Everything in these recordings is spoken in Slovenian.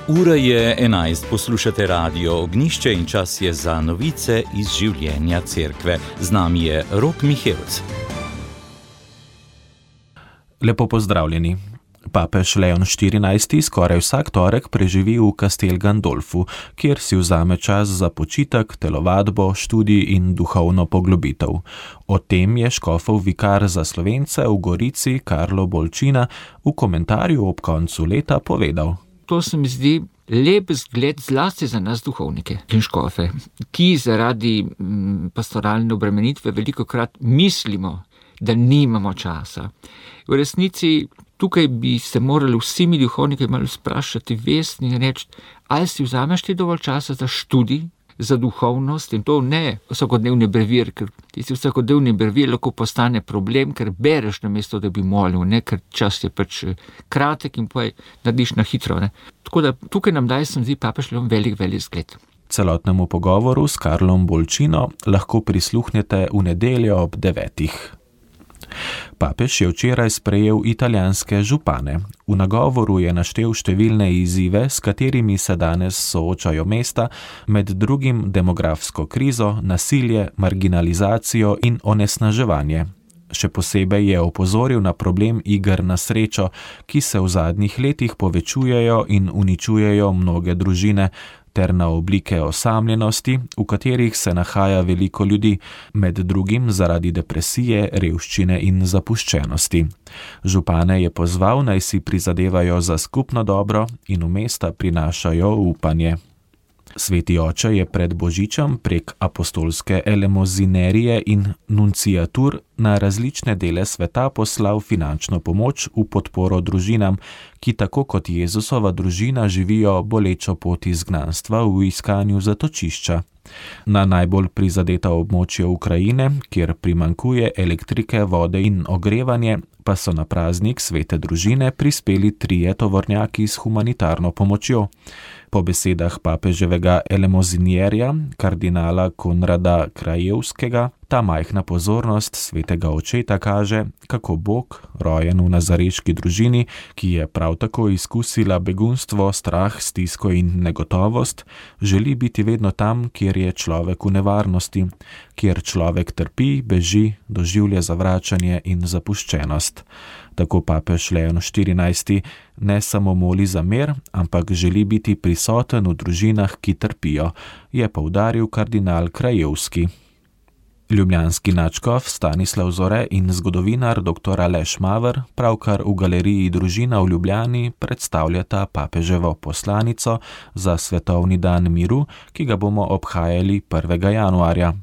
Ura je 11, poslušate Radio Ognjišče in čas je za novice iz življenja cerkve. Z nami je Rok Mihelc. Lepo pozdravljeni. Papež Leon XIV skoraj vsak torek preživi v Castel Gandolfu, kjer si vzame čas za počitek, telovadbo, študij in duhovno poglobitev. O tem je škofov vikar za Slovence v Gorici Karlo Bolčina v komentarju ob koncu leta povedal. To se mi zdi lep zgled zlasti za nas duhovnike in škofe, ki zaradi pastoralne obremenitve velikokrat mislimo, da nimamo časa. V resnici tukaj bi se morali vsi mi duhovniki malo sprašati vestni in reči, ali si vzameš ti dovolj časa za študij, za duhovnost in to ne vsakodnevni brevir, ker tisti vsakodnevni brevir lahko postane problem, ker bereš namesto, da bi molil, ne, ker čas je pač kratek in poje narediš na hitro. Ne. Tako da tukaj nam daje, se mi zdi, papež Leon velik zgled. Celotnemu pogovoru s Karlom Bolčino lahko prisluhnete v nedeljo ob 9. Papež je včeraj sprejel italijanske župane. V nagovoru je naštel številne izzive, s katerimi se danes soočajo mesta, med drugim demografsko krizo, nasilje, marginalizacijo in onesnaževanje. Še posebej je opozoril na problem iger na srečo, ki se v zadnjih letih povečujejo in uničujejo mnoge družine, ter na oblike osamljenosti, v katerih se nahaja veliko ljudi, med drugim zaradi depresije, revščine in zapuščenosti. Župane je pozval, naj si prizadevajo za skupno dobro in v mesta prinašajo upanje. Sveti oče je pred Božičem prek apostolske elemozinerije in nunciatur na različne dele sveta poslal finančno pomoč v podporo družinam, ki tako kot Jezusova družina živijo bolečo pot izgnanstva v iskanju zatočišča. Na najbolj prizadeta območja Ukrajine, kjer primanjkuje elektrike, vode in ogrevanje, pa so na praznik svete družine prispeli 3 tovornjaki s humanitarno pomočjo. Po besedah papeževega elemozinierja, kardinala Konrada Krajevskega, ta majhna pozornost svetega očeta kaže, kako Bog, rojen v nazareški družini, ki je prav tako izkusila begunstvo, strah, stisko in negotovost, želi biti vedno tam, kjer je človek v nevarnosti, kjer človek trpi, beži, doživlja zavračanje in zapuščenost. Tako papež Leon XIV ne samo moli za mir, ampak želi biti prisoten v družinah, ki trpijo, je poudaril kardinal Krajevski. Ljubljanski nadškof Stanislav Zore in zgodovinar dr. Aleš Maver pravkar v galeriji Družina v Ljubljani predstavljata papeževo poslanico za svetovni dan miru, ki ga bomo obhajali 1. januarja.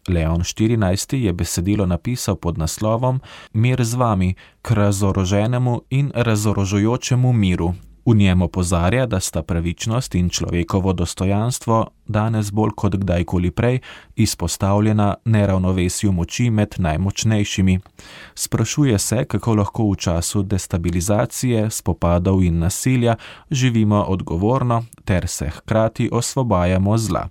Leon XIV je besedilo napisal pod naslovom Mir z vami, k razoroženemu in razorožujočemu miru. V njem opozarja, da sta pravičnost in človekovo dostojanstvo danes bolj kot kdajkoli prej izpostavljena neravnovesju moči med najmočnejšimi. Sprašuje se, kako lahko v času destabilizacije, spopadov in nasilja živimo odgovorno ter se hkrati osvobajamo zla.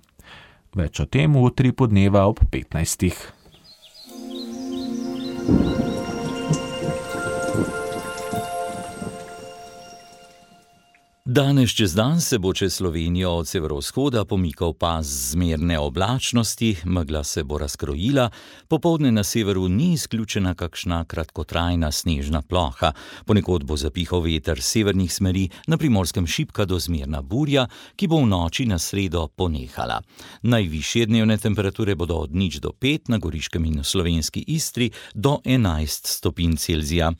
Več o tem v Utri podneva ob 15. Danes čez dan se bo čez Slovenijo od severovzhoda pomikal pas zmerne oblačnosti, megla se bo razkrojila, popoldne na severu ni izključena kakšna kratkotrajna snežna ploha, ponekod bo zapihal veter severnih smeri, na Primorskem šibka do zmerna burja, ki bo v noči na sredo ponehala. Najvišje dnevne temperature bodo od 0 do 5, na Goriškem in v slovenski Istri do 11 stopinj Celzija.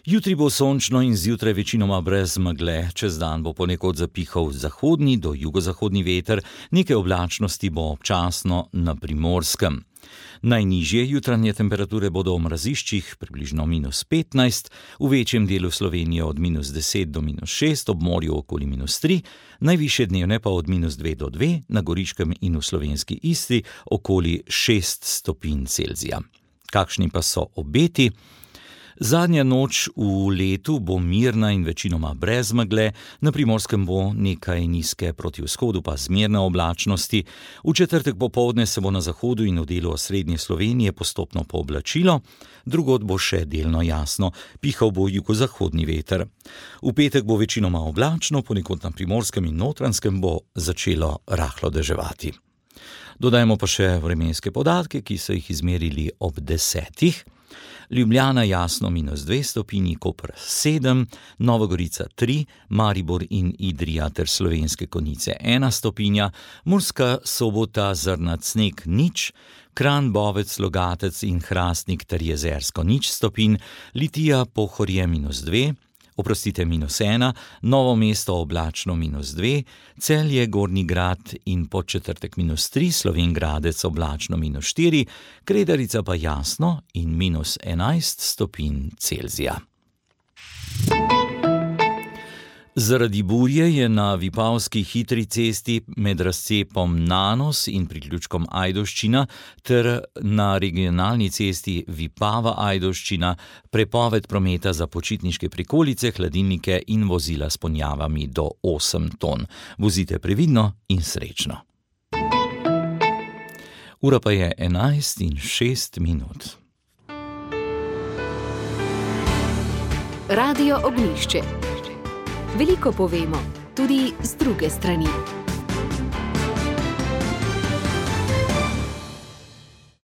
Jutri bo sončno in zjutraj večinoma brez megle, čez dan bo ponekod zapihal zahodni do jugozahodni veter, nekaj oblačnosti bo občasno na Primorskem. Najnižje jutranje temperature bodo v mraziščih približno -15, v večjem delu Slovenije od -10 do -6, ob morju okoli -3, najvišje dnevne pa od -2 do 2, na Goriškem in v slovenski Istri okoli 6 stopinj Celzija. Kakšni pa so obeti? Zadnja noč v letu bo mirna in večinoma brez megle, na Primorskem bo nekaj nizke proti vzhodu pa zmerne oblačnosti. V četrtek popoldne se bo na zahodu in v delu osrednje Slovenije postopno pooblačilo, drugod bo še delno jasno, pihal bo jugozahodni veter. V petek bo večinoma oblačno, ponekod na Primorskem in Notranjskem bo začelo rahlo deževati. Dodajmo pa še vremenske podatke, ki so jih izmerili ob 10. Ljubljana jasno -2 stopinji, Koper 7, Nova Gorica 3, Maribor in Idrija ter Slovenske Konjice 1 stopinja, Murska Sobota zrnat sneg 0, Kranj, Bovec, Logatec in Hrastnik ter Jezersko 0 stopinj, Litija, Pohorje -2, -1, Novo Mesto oblačno -2, Celje, Gornji Grad in Podčetrtek -3, Slovenj Gradec oblačno -4, Kredarica pa jasno in -11 stopinj Celzija. Zaradi burje je na Vipavski hitri cesti med razcepom Nanos in priključkom Ajdovščina ter na regionalni cesti Vipava-Ajdovščina prepoved prometa za počitniške prikolice, hladilnike in vozila s ponjavami do 8 ton. Vozite previdno in srečno. Ura pa je 11:06. Radio Ognjišče. Veliko povemo, tudi z druge strani.